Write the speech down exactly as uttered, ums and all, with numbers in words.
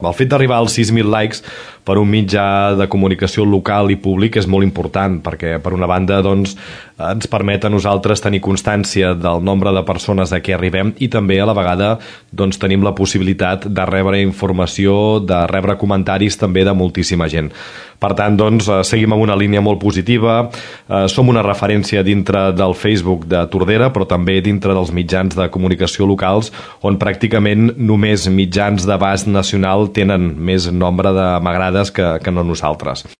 El fet d'arribar als sis mil likes per un mitjà de comunicació local i públic és molt important perquè, per una banda, doncs, ens permet a nosaltres tenir constància del nombre de persones a què arribem i també, a la vegada, doncs, tenim la possibilitat de rebre informació, de rebre comentaris també de moltíssima gent. Per tant, doncs, seguim en una línia molt positiva, eh, som una referència dintre del Facebook de Tordera, però també dintre dels mitjans de comunicació locals, on pràcticament només mitjans d'abast nacional tenen més nombre de m'agrades que, que no nosaltres.